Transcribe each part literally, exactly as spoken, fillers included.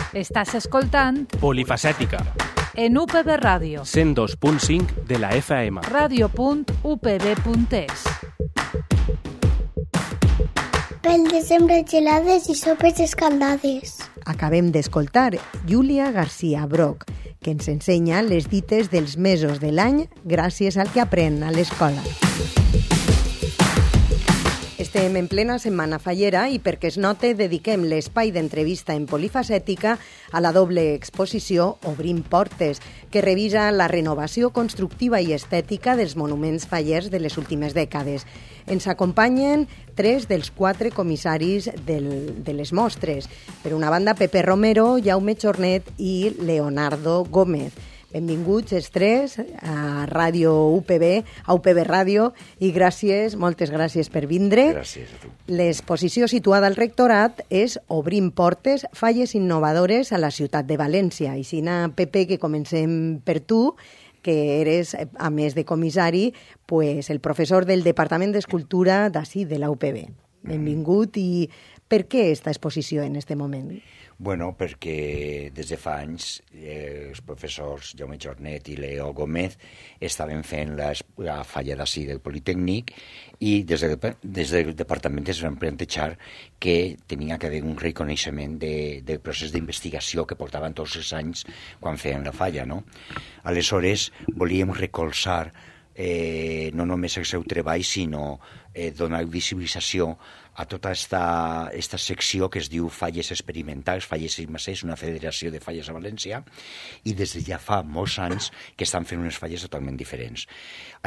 Estàs escoltant Polifacètica, en U P B Ràdio, cent dos punt cinc de la F M. ràdio punt u p b punt es. Pel desembre, gelades i sopes escaldades. Acabem d'escoltar Júlia García Broc, que ens ensenya les dites dels mesos de l'any gràcies al que aprèn a l'escola. Estem en plena setmana fallera i perquè es note dediquem l'espai d'entrevista en Polifacètica a la doble exposició Obrim Portes, que revisa la renovació constructiva i estètica dels monuments fallers de les últimes dècades. Ens acompanyen tres dels quatre comissaris del, de les mostres. Per una banda, Pepe Romero, Jaume Chornet i Leonardo Gómez. Benvinguts els tres a Ràdio U P B, a U P B Ràdio, i gràcies, moltes gràcies per vindre. Gràcies a tu. L'exposició situada al rectorat és Obrim Portes, falles innovadores a la ciutat de València. I si na, Pepe, que comencem per tu, que eres, a més de comissari, pues, el professor del Departament d'Escultura d'ací, de la U P B. Benvingut. I per què esta exposició en este moment? Bueno, perquè des de fa anys eh, els professors Jaume Chornet i Leo Gómez estaven fent la, la falla d'ací del Politécnic i des, de, des del departament es van plantejar que tenia que haver un reconeixement de, del procés d'investigació que portaven tots els anys quan feien la falla, no? Aleshores, volíem recolzar eh, no només el seu treball, sinó eh, donar visibilització a tota esta, esta secció que es diu Falles Experimentals, Falles I més sis, una federació de falles a València, i des de ja fa molts anys que estan fent unes falles totalment diferents.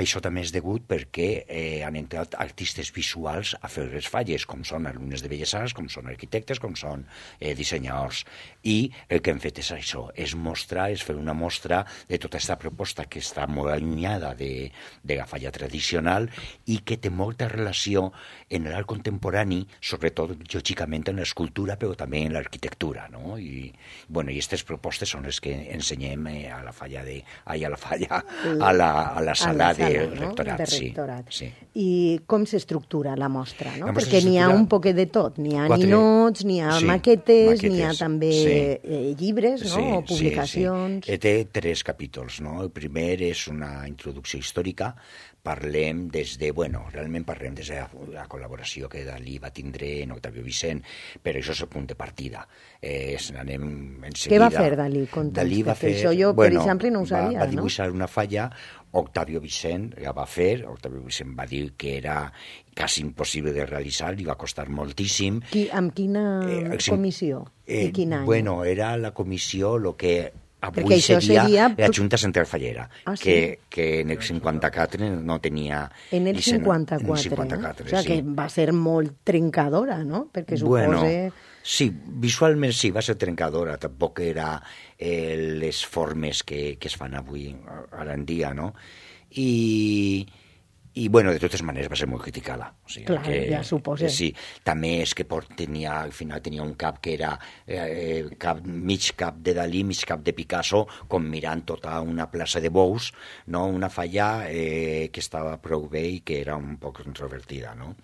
Això també és degut perquè eh, han entrat artistes visuals a fer les falles, com són alumnes de Belles Arts, com són arquitectes, com són eh, dissenyadors. I el que hem fet és això, és mostrar, és fer una mostra de tota aquesta proposta que està molt allunyada de, de la falla tradicional i que té molta relació en l'art contemporani, sobretot, lògicament, en l'escultura, però també en l'arquitectura, no? I, bueno, i aquestes propostes són les que ensenyem eh, a la falla de... Ai, a la falla, a la, a la sala, a la sala del no? rectorat. De rectorat. Sí, sí. I com s'estructura la mostra, no? La mostra Perquè n'hi ha un poquet de tot. N'hi ha Quatre... ninots, n'hi ha sí, maquetes, maquetes, n'hi ha també sí. eh, llibres, no? Sí, o publicacions. Sí, sí. Té tres capítols, no? El primer és una introducció històrica. Parlem des de, bueno, realment parlem des de la, la col·laboració que Dalí va tindre en Octavio Vicent, però això és el punt de partida. Eh, anem en seguida. Què va fer Dalí? Conta'ns, Dalí va fer, això jo, bueno, per exemple, no ho sabia, va, va dibuixar no? una falla, Octavio Vicent la va fer, Octavio Vicent va dir que era quasi impossible de realitzar, li va costar moltíssim. Qui, amb quina eh, comissió? Eh, I quin any? Bueno, era la comissió, el que... Avui seria, seria la Junta Central Fallera, ah, sí? que, que en el cinquanta-quatre no tenia... En el cinquanta-quatre, en el cinquanta-quatre, no? O sigui, sí. que va ser molt trencadora, no? Perquè bueno, supose... sí, visualment sí, va ser trencadora, tampoc era eh, les formes que, que es fan avui, ara en dia, no? I... I, bueno, de totes maneres va ser molt criticada. O sigui, clar, que, ja suposo. Sí, també és que port, tenia, al final tenia un cap que era eh, cap, mig cap de Dalí, mig cap de Picasso, com mirant tota una plaça de bous, no? Una falla eh, que estava prou bé i que era un poc controvertida, no?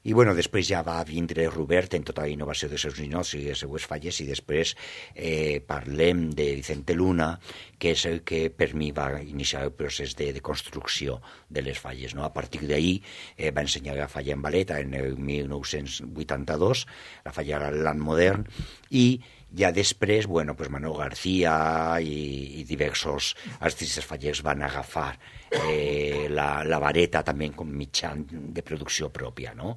I, bueno, després ja va vindre Robert en tota la innovació dels seus ninots i les seues falles, i després eh, parlem de Vicente Luna, que és el que per mi va iniciar el procés de, de construcció de les falles, no? A partir d'ahir eh, va ensenyar la falla en Valeta en el mil nou-cents vuitanta-dos, la falla Land Modern, i ja després, bueno, pues Manuel García i, i diversos artistes fallers van agafar eh, la, la vareta també com mitjà de producció pròpia, no?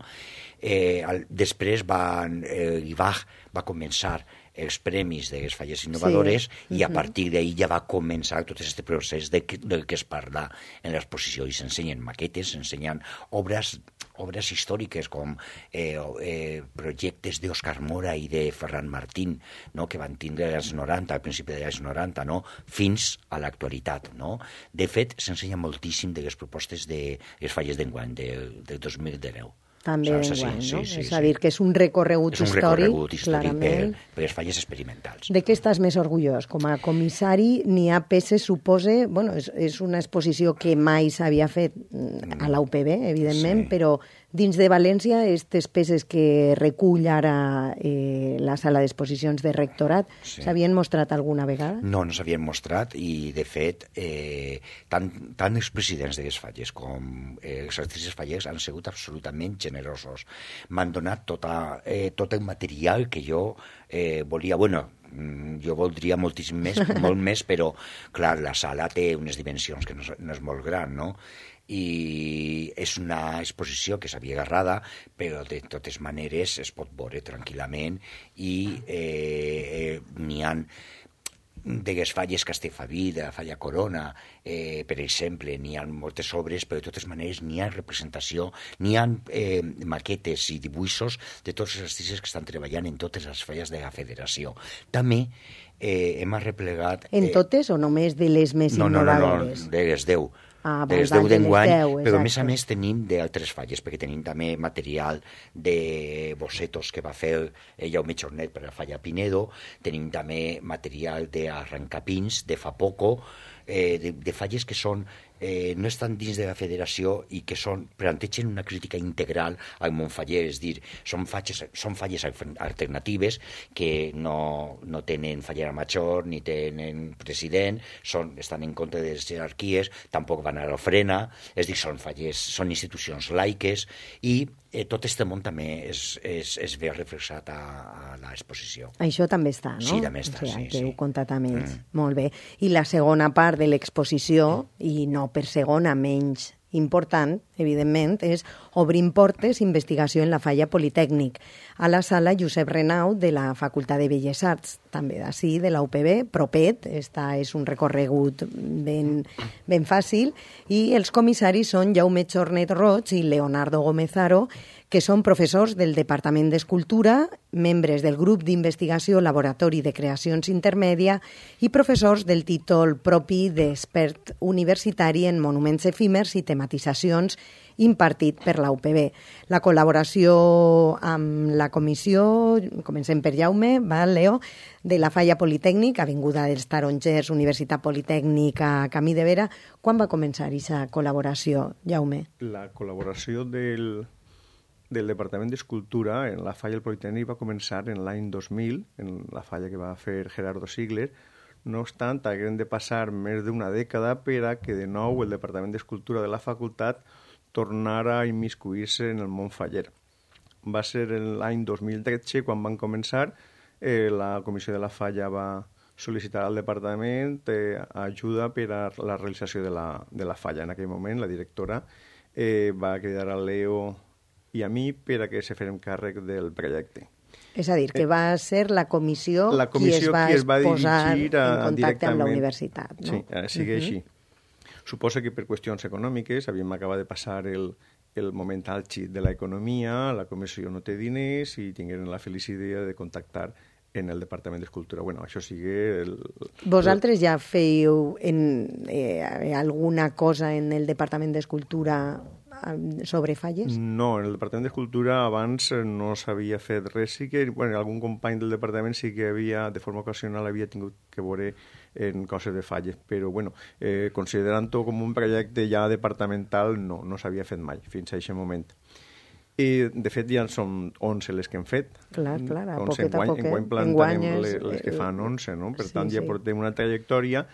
Eh, al, després van, eh, Ibach va començar els premis de les falles innovadores sí. i a partir d'ahir ja va començar tot aquest procés de, del que es parla en l'exposició, i s'ensenyen maquetes, s'ensenyen obres obres històriques com eh, eh, projectes d'Òscar Mora i de Ferran Martín, no? Que van tindre als noranta, al principi dels noranta, no? Fins a l'actualitat, no? De fet, s'ensenya moltíssim de les propostes de les falles d'enguany del de dos mil deu. També Saps? d'enguany, Sí, no? sí, sí, és a sí. dir, que és un recorregut És un històric, recorregut històric per, clarament. per les falles experimentals. De què estàs més orgullós? Com a comissari, n'hi ha peces, supose... Bueno, és, és una exposició que mai s'havia fet a la U P B, evidentment, Sí. però Dins de València, aquestes peces que recull ara eh, la sala d'exposicions de Rectorat, sí. s'havien mostrat alguna vegada? No, no s'havien mostrat i, de fet, eh, tant, tant els presidents de les falles com eh, els artistes fallers han sigut absolutament generosos. M'han donat tota, eh, tot el material que jo eh, volia. Bueno, jo voldria moltíssim més, molt més, però, clar, la sala té unes dimensions que no és, no és molt gran, no? I és una exposició que s'havia agarrada, però de totes maneres es pot veure tranquil·lament i eh, eh, n'hi ha de les falles Castellfaví, de la falla Corona, eh, per exemple, n'hi ha moltes obres, però de totes maneres n'hi ha representació, n'hi ha eh, maquetes i dibuixos de tots els artistes que estan treballant en totes les falles de la federació. També eh, hem arreplegat... En eh, totes o només de les més no, no, innovadores? No, no, de les deu. Ah, de les deu d'enguany, però a més a exacte. més tenim d'altres falles, perquè tenim també material de bocetos que va fer Jaume Chornet per la falla Pinedo, tenim també material d'arrencapins de fa poco, eh, de, de falles que són eh, no estan dins de la federació i que són, plantegen una crítica integral al món faller, és dir, són falles, són falles alternatives que no, no tenen fallera major ni tenen president, són, estan en contra de les jerarquies, tampoc van a l'ofrena, és dir, són falles, són institucions laiques i eh, tot este món també es, es, es ve reflexat a, a l'exposició. Això també està, no? Sí, també està, o sigui, sí. que sí. heu contat amb ells. Mm. Molt bé. I la segona part de l'exposició, i no per segona menys important, evidentment, és Obrim portes, investigació en la falla Politècnic, a la sala Josep Renau de la Facultat de Belles Arts, també d'ací, de la U P B, propet, esta és un recorregut ben, ben fàcil, i els comissaris són Jaume Chornet Roig i Leonardo Gómez Haro, que són professors del Departament d'Escultura, membres del grup d'investigació Laboratori de Creacions Intermèdia i professors del títol propi d'expert universitari en monuments efímers i tematitzacions impartit per la U P B. La col·laboració amb la comissió, comencem per Jaume, va, Leo, de la Falla Politècnic, Avinguda dels Tarongers, Universitat Politècnica, Camí de Vera. Quan va començar aquesta col·laboració, Jaume? La col·laboració del... del Departament d'Escultura en la falla del Politècnic va començar en l'any dos mil, en la falla que va fer Gerardo Sigler. No obstant, haguem de passar més d'una dècada per a que de nou el Departament d'Escultura de la facultat tornara a immiscuir-se en el món faller. Va ser l'any dos mil tretze quan van començar, eh, la comissió de la falla va sol·licitar al departament eh, ajuda per a la realització de la, de la falla. En aquell moment, la directora eh, va cridar a Leo i a mi per a que se fèrem càrrec del projecte. És a dir, que va ser la comissió, la comissió qui es va, qui es va posar dirigir a, en contacte amb la directament. universitat. No? Sí, eh, sigui uh -huh. així. Suposa que per qüestions econòmiques havíem acabat de passar el, el moment àlgid de l'economia, la comissió no té diners i tingueren la feliç idea de contactar en el Departament d'Escultura. Bueno, això sigui... El, Vosaltres ja fèieu en, eh, alguna cosa en el Departament d'Escultura sobre falles? No, en el Departament d'Escultura abans no s'havia fet res. Sí que bueno, algun company del departament sí que havia, de forma ocasional, havia tingut que veure en coses de falles, però bueno, eh, considerant-ho com un projecte ja departamental, no, no s'havia fet mai fins a aquest moment. I, de fet, ja són onze les que hem fet. Clar, clar, a onze, poquet a poquet. Enguany plantarem les, les que fan onze, no? Per sí, tant, ja sí. portem una trajectòria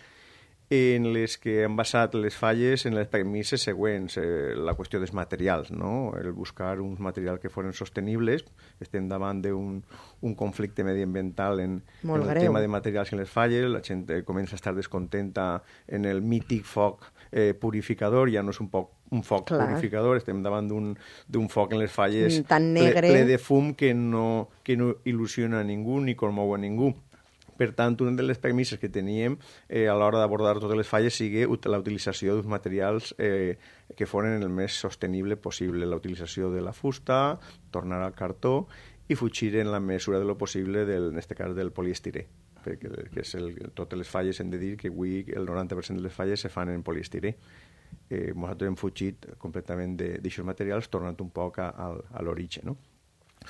en les que hem basat les falles en les premisses següents. Eh, la qüestió dels materials, no? El buscar uns materials que foren sostenibles. Estem davant d'un un conflicte mediambiental en, en el greu. tema de materials en les falles. La gent eh, comença a estar descontenta en el mític foc eh, purificador. Ja no és un, poc, un foc Clar. purificador, estem davant d'un foc en les falles tan negre, ple, ple de fum que no, que no il·lusiona a ningú ni comou a ningú. Per tant, una de les premisses que teníem eh, a l'hora d'abordar totes les falles sigui la utilització d'uns materials eh, que foren el més sostenible possible. La utilització de la fusta, tornar al cartó i fugir en la mesura de lo possible, del, en aquest cas, del poliestirè. Perquè que és el, totes les falles hem de dir que avui el noranta per cent de les falles se fan en poliestirè. Eh, nosaltres hem fugit completament d'aixòs materials, tornant un poc a, a, a l'origen, no?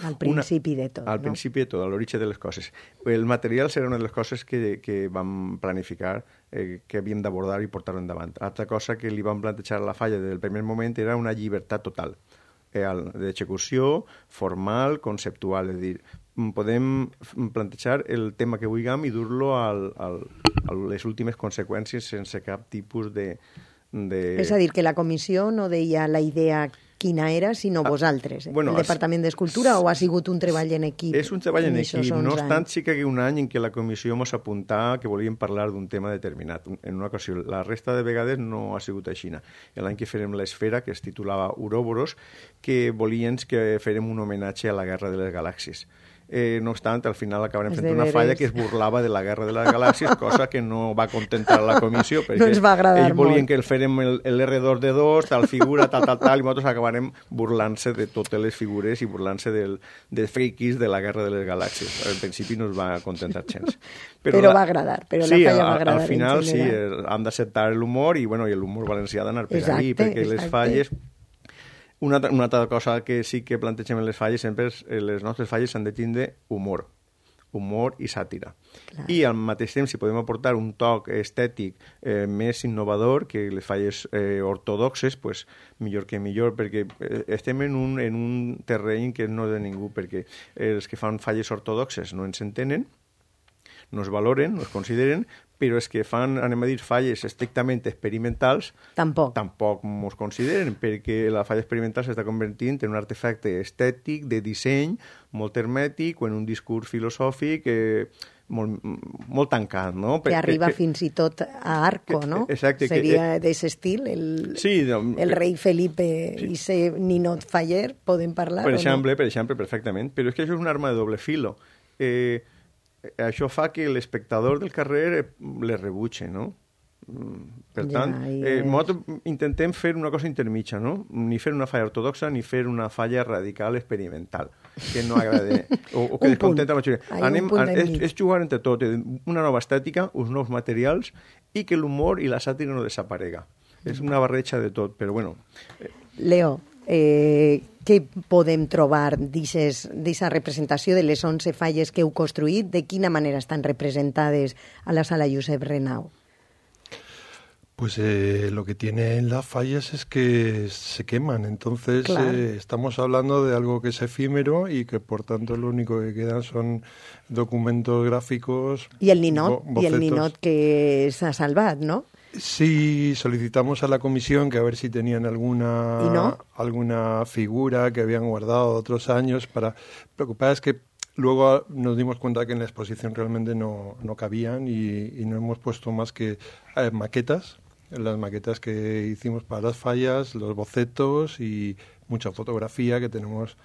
Al principi una, de tot, Al no? principi de tot, a l'origen de les coses. El material serà una de les coses que, que vam planificar, eh, que havíem d'abordar i portar-ho endavant. Altra cosa que li vam plantejar a la falla del primer moment era una llibertat total. d'execució formal, conceptual, és a dir, podem plantejar el tema que vulguem i dur-lo al, al, a les últimes conseqüències sense cap tipus de, de... És a dir, que la comissió no deia la idea quina era, sinó ah, vosaltres, eh? bueno, el Departament d'Escultura, o ha sigut un treball en equip? És un treball en equip, no obstant sí que hi ha un any en què la comissió ens apuntava que volíem parlar d'un tema determinat, en una ocasió. La resta de vegades no ha sigut així. L'any que farem l'Esfera, que es titulava Ouroboros, que volien que farem un homenatge a la Guerra de les Galàxies. Eh, no obstant, al final acabarem fent una falla que es burlava de la Guerra de les Galàxies, cosa que no va contentar a la comissió, perquè no ens va agradar ells volien molt. que el farem l'R dos D dos, tal figura, tal, tal, tal, i nosaltres acabarem burlant-se de totes les figures i burlant-se del, dels friquis de la Guerra de les Galàxies. Al principi no ens va contentar gens. Però, però la... va agradar, però sí, la falla va agradar. Al final sí, han d'acceptar l'humor, i, bueno, i l'humor valencià d'anar per ahí, perquè exacte. Les falles... Una, una altra cosa que sí que plantegem en les falles sempre és que les nostres falles s'han de tindre humor, humor i sàtira. Clar. I al mateix temps, si podem aportar un toc estètic eh, més innovador que les falles eh, ortodoxes, pues, millor que millor, perquè eh, estem en un, en un terreny que no és de ningú, perquè els que fan falles ortodoxes no ens entenen, no es valoren, no es consideren, però és que fan, anem a dir, falles estrictament experimentals, tampoc tampoc ens consideren, perquè la falla experimental s'està convertint en un artefacte estètic, de disseny, molt hermètic, o en un discurs filosòfic eh, molt, molt tancat, no? Que arriba que, fins i tot a Arco, no? Exacte. Seria d'aquest estil, el, sí, no, el rei Felipe sí. i ser ninot faller, podem parlar per o exemple, no? Per exemple, perfectament, però és que això és un arma de doble filo. Eh, això fa que l'espectador del carrer les rebutge, no? Per tant, ja, eh, nosaltres intentem fer una cosa intermitja, no? Ni fer una falla ortodoxa ni fer una falla radical experimental, que no agrada o, o que descontenta la majoria. Anem, és, és jugar entre tot, una nova estètica, uns nous materials, i que l'humor i la sàtira no desaparega. És una barreja de tot, però bueno... Eh. Leo, eh, què podem trobar d'aquesta representació de les onze falles que heu construït? De quina manera estan representades a la sala Josep Renau? Pues eh, lo que tienen las fallas es que se queman, entonces claro. eh, estamos hablando de algo que es efímero y que por tanto lo único que quedan son documentos gráficos. Y el ninot, y el ninot que s'ha salvat, ¿no? Sí, solicitamos a la comisión que a ver si tenían alguna, no? alguna figura que habían guardado otros años para... Lo que pasa es que luego nos dimos cuenta que en la exposición realmente no, no cabían y, y no hemos puesto más que eh, maquetas. Las maquetas que hicimos para las fallas, los bocetos y mucha fotografía, que tenemos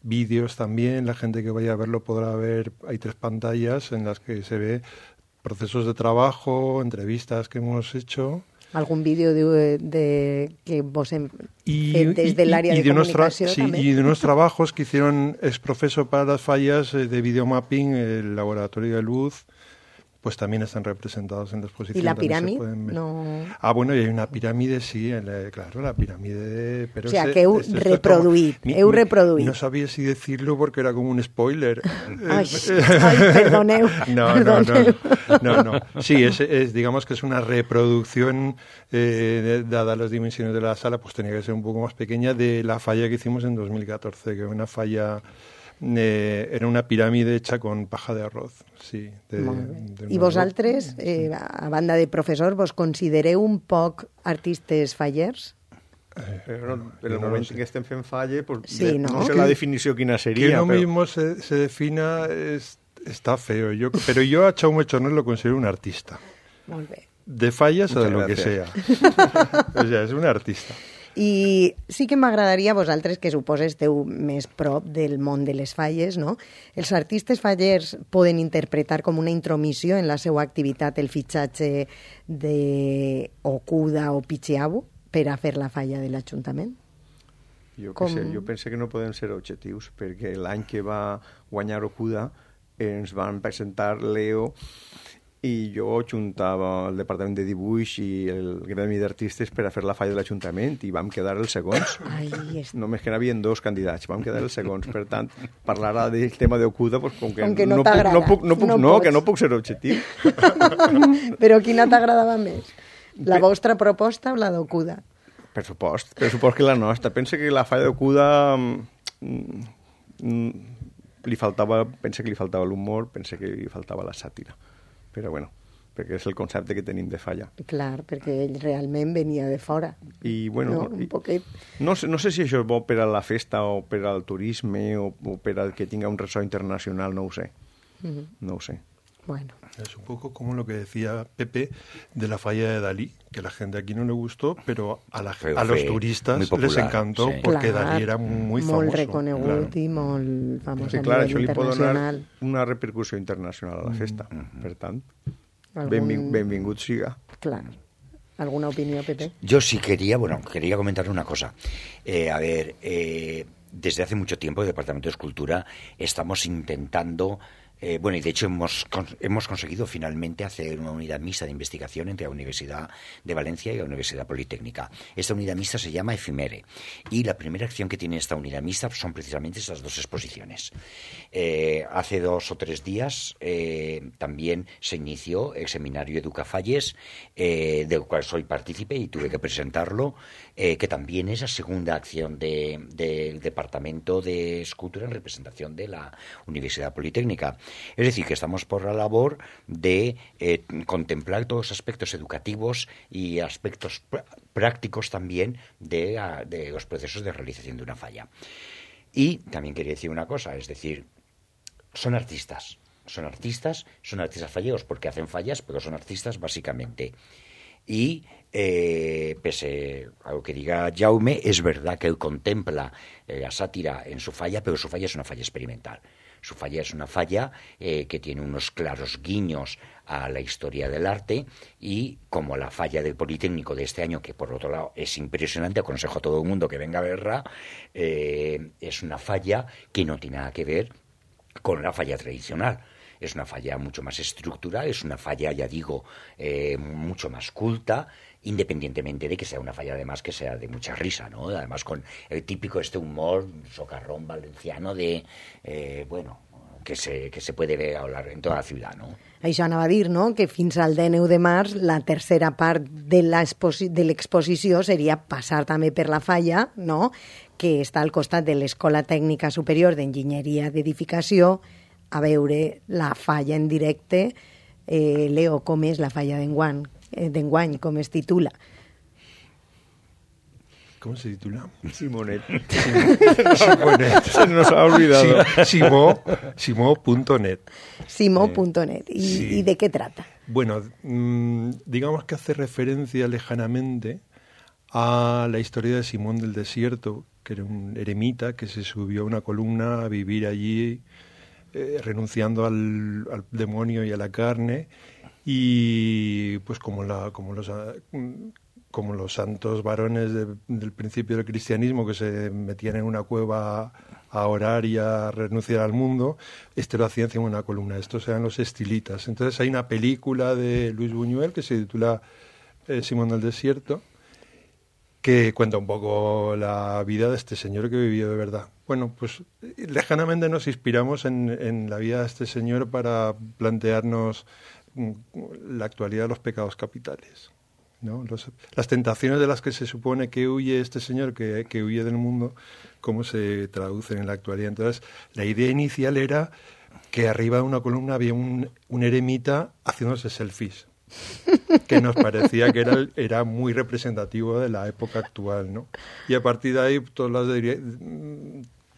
vídeos también. La gente que vaya a verlo podrá ver, hay tres pantallas en las que se ve procesos de trabajo, entrevistas que hemos hecho. ¿Algún vídeo de, de que vos en, y, desde el área y, y de, de comunicación sí, y de unos trabajos que hicieron exprofeso para las fallas eh, de videomapping, el laboratorio de luz, pues también están representados en la exposición. ¿Y la pirámide? No... Ah, bueno, y hay una pirámide, sí, la, claro, la pirámide... Pero o sea, ese, que heu este, reproduït, como, heu reproduït. No sabía si decirlo porque era como un spoiler. Ay, ay perdoneu. No, perdoneu. no, no, no, no. Sí, es, es, digamos que es una reproducción, eh, dada las dimensiones de la sala, pues tenía que ser un poco más pequeña, de la falla que hicimos en dos mil catorce, que era una falla... Eh, era una pirámide hecha con paja de arroz, sí. De, de I vosaltres, eh, a banda de professor, vos considereu un poc artistes fallers? Eh, però en el no moment no sé. que estem fent falle, pues, sí, de, no, no sé que, la definició quina seria. Que no pero... mismo se, se defina es, está feo. Yo, pero yo a Jaume Chornet lo considero un artista. Molt bé. De fallas o de lo gracias. que sea. O sea, es un artista. I sí que m'agradaria a vosaltres, que suposo esteu més prop del món de les falles, no? Els artistes fallers poden interpretar com una intromissió en la seva activitat el fitxatge d'Ocuda o Pichiabu per a fer la falla de l'Ajuntament? Jo, com... sé, jo penso que no podem ser objectius, perquè l'any que va guanyar Ocuda ens van presentar Leo i jo juntava el departament de dibuix i el gremi d'artistes per a fer la falla de l'Ajuntament i vam quedar els segons. Ai, és... Només que n'havien dos candidats, vam quedar els segons. Per tant, parlar ara del tema d'Ocuda, pues, com que, com que no, no, puc, no, puc, no, puc, no, no pots. que no puc ser objectiu. Però quina t'agradava més? La vostra proposta o la d'Ocuda? Per supost, per supost que la nostra. Pensa que la falla de Cuda mm, mm, li faltava, pensa que li faltava l'humor, pensa que li faltava la sàtira. Però bueno, perquè és el concepte que tenim de falla. Clar, perquè ell realment venia de fora. I, bueno, no, un i, poquet. No, sé, no sé si això és bo per a la festa o per al turisme o, o per al que tinga un ressò internacional, no ho sé. Uh-huh. No ho sé. Bueno. Es un poco como lo que decía Pepe de la falla de Dalí, que la gente aquí no le gustó, pero a, la, Fue, a los turistas popular, les encantó, sí. Porque clar, Dalí era muy famoso. Molt reconegut claro. I molt famós sí, a clar, nivell internacional. Això li pot donar una repercussió internacional a la festa. Mm-hmm. Per tant, Algun... benving, benvingut siga. Clar. ¿Alguna opinión, Pepe? Yo sí quería, bueno, quería comentar una cosa. Eh, a ver, eh, desde hace mucho tiempo el Departamento de Escultura estamos intentando... Eh, bueno, y de hecho hemos, hemos conseguido finalmente hacer una unidad mixta de investigación entre la Universidad de Valencia y la Universidad Politécnica. Esta unidad mixta se llama Efimere y la primera acción que tiene esta unidad mixta son precisamente esas dos exposiciones. Eh, hace dos o tres días eh, también se inició el seminario Educafalles, eh, del cual soy partícipe y tuve que presentarlo, eh, que también es la segunda acción de, del Departamento de Escultura en representación de la Universidad Politécnica. Es decir, que estamos por la labor de eh, contemplar todos los aspectos educativos y aspectos pr- prácticos también de, a, de los procesos de realización de una falla. Y también quería decir una cosa, es decir, son artistas, son artistas, son artistas falleros porque hacen fallas, pero son artistas básicamente. Y eh, pese a lo que diga Jaume, es verdad que él contempla eh, la sátira en su falla, pero su falla es una falla experimental. Su falla es una falla eh, que tiene unos claros guiños a la historia del arte y como la falla del Politécnico de este año, que por otro lado es impresionante, aconsejo a todo el mundo que venga a verla, eh, es una falla que no tiene nada que ver con la falla tradicional. Es una falla mucho más estructural, es una falla, ya digo, eh, mucho más culta, independientemente de que sea una falla además que sea de mucha risa, ¿no? Además con el típico este humor socarrón valenciano de, eh, bueno, que se, que se puede ver hablar en toda la ciudad, ¿no? Això anava a dir, no?, que fins al dinou de març la tercera part de l'exposició seria passar també per la falla, no?, que està al costat de l'Escola Tècnica Superior d'Enginyeria d'Edificació, a veure la falla en directe. Eh, Leo, com és la falla d'enguany, eh, d'enguany, com es titula? ¿Cómo se titula? Simonet. Simonet. Se nos ha olvidado. Simo, Simo punto net. Simo punto net. ¿Y, sí. ¿Y de qué trata? Bueno, mmm, digamos que hace referencia lejanamente a la historia de Simón del Desierto, que era un eremita que se subió a una columna a vivir allí, eh, renunciando al, al demonio y a la carne, y pues como, la, como los... como los santos varones de, del principio del cristianismo que se metían en una cueva a orar y a renunciar al mundo, este lo hacía encima de una columna. Estos eran los estilitas. Entonces hay una película de Luis Buñuel que se titula eh, Simón del Desierto, que cuenta un poco la vida de este señor que vivió de verdad. Bueno, pues lejanamente nos inspiramos en, en la vida de este señor para plantearnos la actualidad de los pecados capitales, ¿no? Los, las tentaciones de las que se supone que huye este señor, que, que huye del mundo, cómo se traducen en la actualidad. Entonces, la idea inicial era que arriba de una columna había un, un eremita haciéndose selfies, que nos parecía que era, era muy representativo de la época actual, ¿no? Y a partir de ahí, todas las,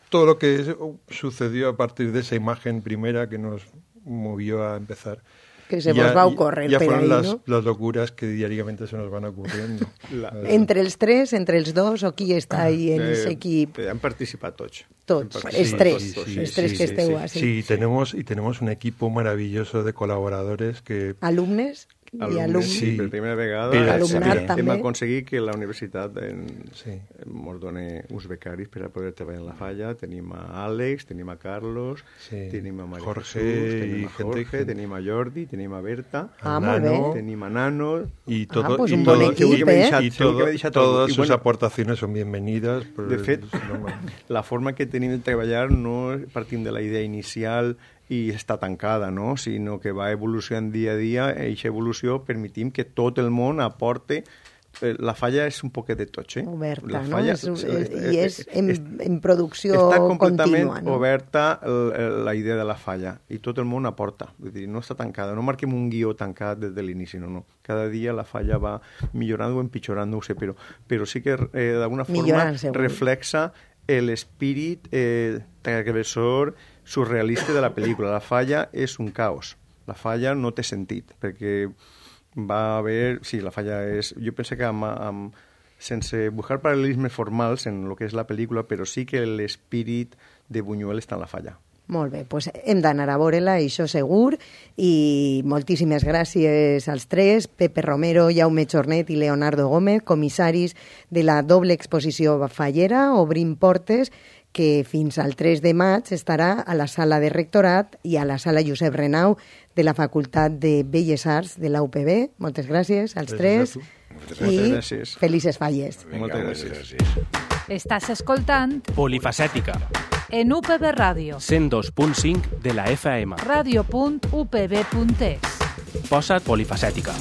todo lo que sucedió a partir de esa imagen primera que nos movió a empezar. Que se vos va a ocórrer ja per foren ahí, les, no? les locures que diàriament se nos van ocurriendo. La, Entre els tres, entre els dos, o qui està ahí en eh, ese equip? Han participat tots. Tots, Han els participat tres, tots, sí, els sí, tres sí, que sí, esteu sí. así. Sí, tenemos, y tenemos un equipo maravilloso de colaboradores que... Alumnes i Alumnes, alumnes. sí, per primera vegada Mira, alumnat sí. també. hem aconseguit que la universitat en, Sí. ens doni uns becaris per a poder treballar en la falla. Tenim a Àlex, tenim a Carlos, Sí. tenim a Maria Jorge Jesús, i tenim a gente- Jorge, gente- tenim a Jordi, tenim a Berta, Ah, a molt bé. Nano, tenim a Nano. y Ah, todo, pues y un todo- bon equip, que m'he eh? deixat, y segur que todo- m'he deixat todas algú. I sus bueno, aportaciones son bienvenidas. pues, De fet, no, la forma que tenim de treballar no partim de la idea inicial i està tancada, no? Sinó que va evolucionant dia a dia i aquesta evolució permetim que tot el món aporte eh, la falla és un poquet de tot, eh? Oberta, la no? falla, És, és, I és en, en producció està completament contínua, no? oberta el, el, la idea de la falla i tot el món aporta, vull dir, no està tancada, no marquem un guió tancat des de l'inici, no, no. Cada dia la falla va millorant o empitjorant, no ho sé, però, però sí que eh, d'alguna forma Millorant, segur. reflexa l'espírit eh, transgressor surrealista de la pel·lícula. La falla és un caos. La falla no té sentit, perquè va haver... Sí, la falla és... Jo penso que amb, amb, sense buscar paral·lelismes formals en el que és la pel·lícula, però sí que l'espírit de Buñuel està en la falla. Molt bé, doncs hem d'anar a veure-la, això segur, i moltíssimes gràcies als tres, Pepe Romero, Jaume Jornet i Leonardo Gómez, comissaris de la doble exposició fallera, Obrim Portes, que fins al tres de maig estarà a la sala de rectorat i a la sala Josep Renau de la Facultat de Belles Arts de la U P B. Moltes gràcies als tres i gràcies. felices falles. Moltes gràcies. Estàs escoltant Polifacètica, en U P B Ràdio, cent dos punt cinc de la F M. ràdio punt u p b punt es. Posa't polifacètica.